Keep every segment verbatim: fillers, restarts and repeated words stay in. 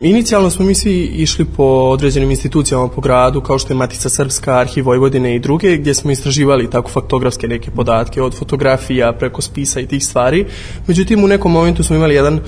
Inicijalno smo mi svi išli po određenim institucijama po gradu, kao što je Matica Srpska, Arhiv Vojvodine i druge, gdje smo istraživali tako faktografske neke podatke, od fotografija preko spisa i tih stvari. Međutim, u nekom momentu smo imali jedan uh,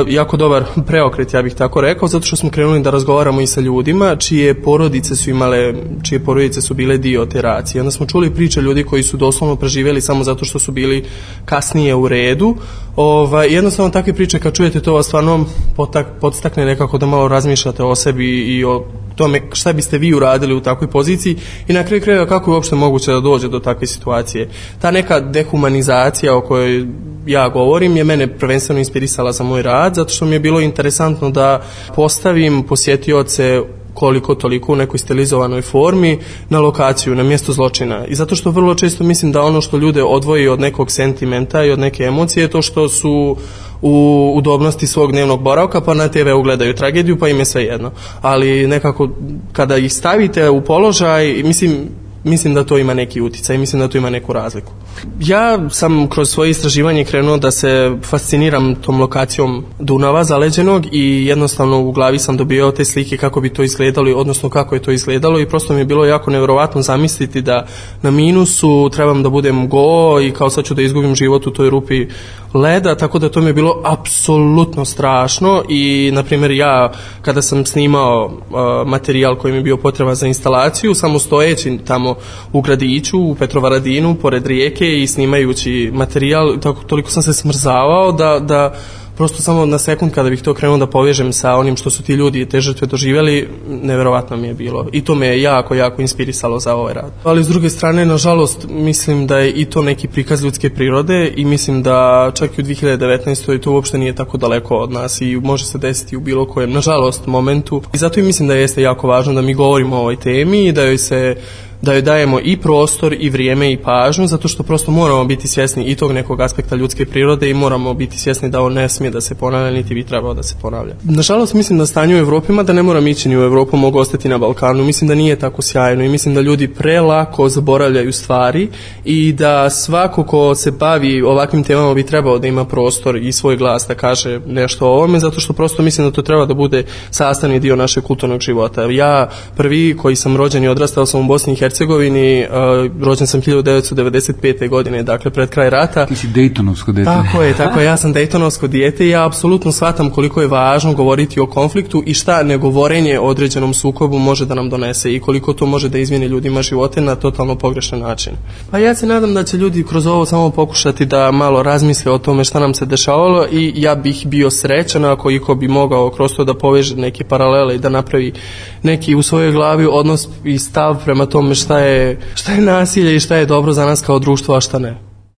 jako dobar preokret, ja bih tako rekao, zato što smo krenuli da razgovaramo i sa ljudima čije porodice su imale, čije porodice su bile dio te racije. Onda smo čuli priče ljudi koji su doslovno preživjeli samo zato što su bili kasnije u redu. Ovaj, jednostavno takve priče kad čujete to vas stvarno potak, podstakne nekako da malo razmišljate o sebi i o tome šta biste vi uradili u takvoj poziciji i na kraju krajeva kako je uopšte moguće da dođe do takve situacije. Ta neka dehumanizacija o kojoj ja govorim je mene prvenstveno inspirisala za moj rad, zato što mi je bilo interesantno da postavim posjetioce koliko toliko u nekoj stilizovanoj formi na lokaciju, na mjesto zločina. I zato što vrlo često mislim da ono što ljude odvoji od nekog sentimenta i od neke emocije je to što su u udobnosti svog dnevnog boravka, pa na te ve ugledaju tragediju, pa im je sve jedno. Ali nekako kada ih stavite u položaj, mislim Mislim da to ima neki uticaj, mislim da to ima neku razliku. Ja sam kroz svoje istraživanje krenuo da se fasciniram tom lokacijom Dunava zaleđenog i jednostavno u glavi sam dobio te slike kako bi to izgledalo, odnosno kako je to izgledalo i prosto mi je bilo jako nevjerovatno zamisliti da na minusu trebam da budem go i kao sad ću da izgubim život u toj rupi leda, tako da to mi je bilo apsolutno strašno i na primjer ja kada sam snimao uh, materijal koji mi je bio potreban za instalaciju, samo stojeći tamo u gradiću, u Petrovaradinu, pored rijeke i snimajući materijal, tako, toliko sam se smrzavao da, da prosto samo na sekund kada bih to krenuo da povežem sa onim što su ti ljudi te žrtve doživjeli, neverovatno mi je bilo. I to me je jako, jako inspirisalo za ovaj rad. Ali s druge strane, nažalost, mislim da je i to neki prikaz ljudske prirode i mislim da čak i u dvije hiljade devetnaestoj to uopšte nije tako daleko od nas i može se desiti u bilo kojem, nažalost, momentu. I zato i mislim da jeste jako važno da mi govorimo o ovoj temi i da joj se da joj dajemo i prostor i vrijeme i pažnju, zato što prosto moramo biti svjesni i tog nekog aspekta ljudske prirode i moramo biti svjesni da on ne smije da se ponavlja, niti bi trebao da se ponavlja. Nažalost, mislim da stanje u Evropi, mada ne moram ići ni u Evropu, mogu ostati na Balkanu, mislim da nije tako sjajno i mislim da ljudi prelako zaboravljaju stvari i da svako ko se bavi ovakvim temama bi trebao da ima prostor i svoj glas da kaže nešto o ovome, zato što prosto mislim da to treba da bude sastavni dio našeg kulturnog života. Ja prvi koji sam rođen i odrastao sam u Bosni i Hercegovini, uh, rođen sam hiljadu devetsto devedeset pete. godine, dakle pred kraj rata. Ti si Dejtonovsko dijete. Tako je, tako je, ja sam Dejtonovsko dijete i ja apsolutno shvatam koliko je važno govoriti o konfliktu i šta negovorenje o određenom sukobu može da nam donese i koliko to može da izmijeni ljudima živote na totalno pogrešan način. Pa ja se nadam da će ljudi kroz ovo samo pokušati da malo razmisle o tome šta nam se dešavalo i ja bih bio srećan ako iko bi mogao kroz to da poveže neke paralele i da napravi neki u svojoj glavi odnos i stav prema tome šta je, šta je nasilje i šta je dobro za nas kao društvo, a šta ne.